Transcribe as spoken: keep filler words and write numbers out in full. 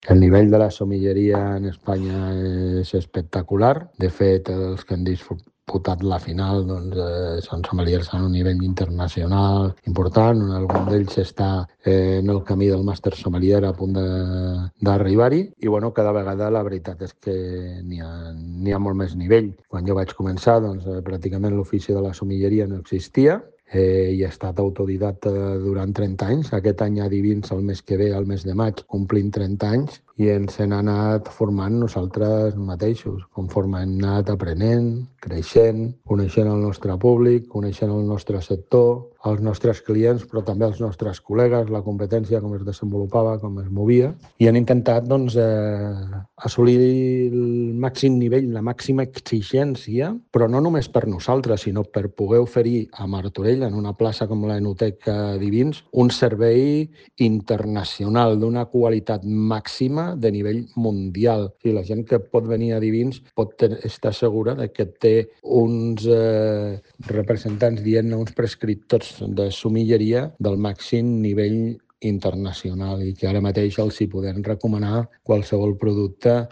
El nivell de la somilleria en Espanya és espectacular. De fet, els que han disputat la final doncs, eh, són sommeliers a un nivell internacional important. Algun d'ells està eh, en el camí del màster sommelier a punt d'arribar-hi. I bueno, cada vegada la veritat és que n'hi ha, n'hi ha molt més nivell. Quan jo vaig començar, doncs, eh, pràcticament l'ofici de la sommelleria no existia. Eh, i he estat autodidacta durant trenta anys. Aquest any a Divins, el mes que ve, el mes de maig, complim trenta anys i ens hem anat formant nosaltres mateixos, conforme hem anat aprenent, creixent, coneixent el nostre públic, coneixent el nostre sector, els nostres clients, però també els nostres col·legues, la competència, com es desenvolupava, com es movia, i han intentat doncs, eh, assolir el màxim nivell, la màxima exigència, però no només per nosaltres, sinó per poder oferir a Martorell, en una plaça com l'Enoteca Divins, un servei internacional d'una qualitat màxima de nivell mundial. O sigui, la gent que pot venir a Divins pot estar segura de que té uns eh, representants, dient uns prescriptors de somilleria del màxim nivell internacional i que ara mateix els hi podem recomanar qualsevol producte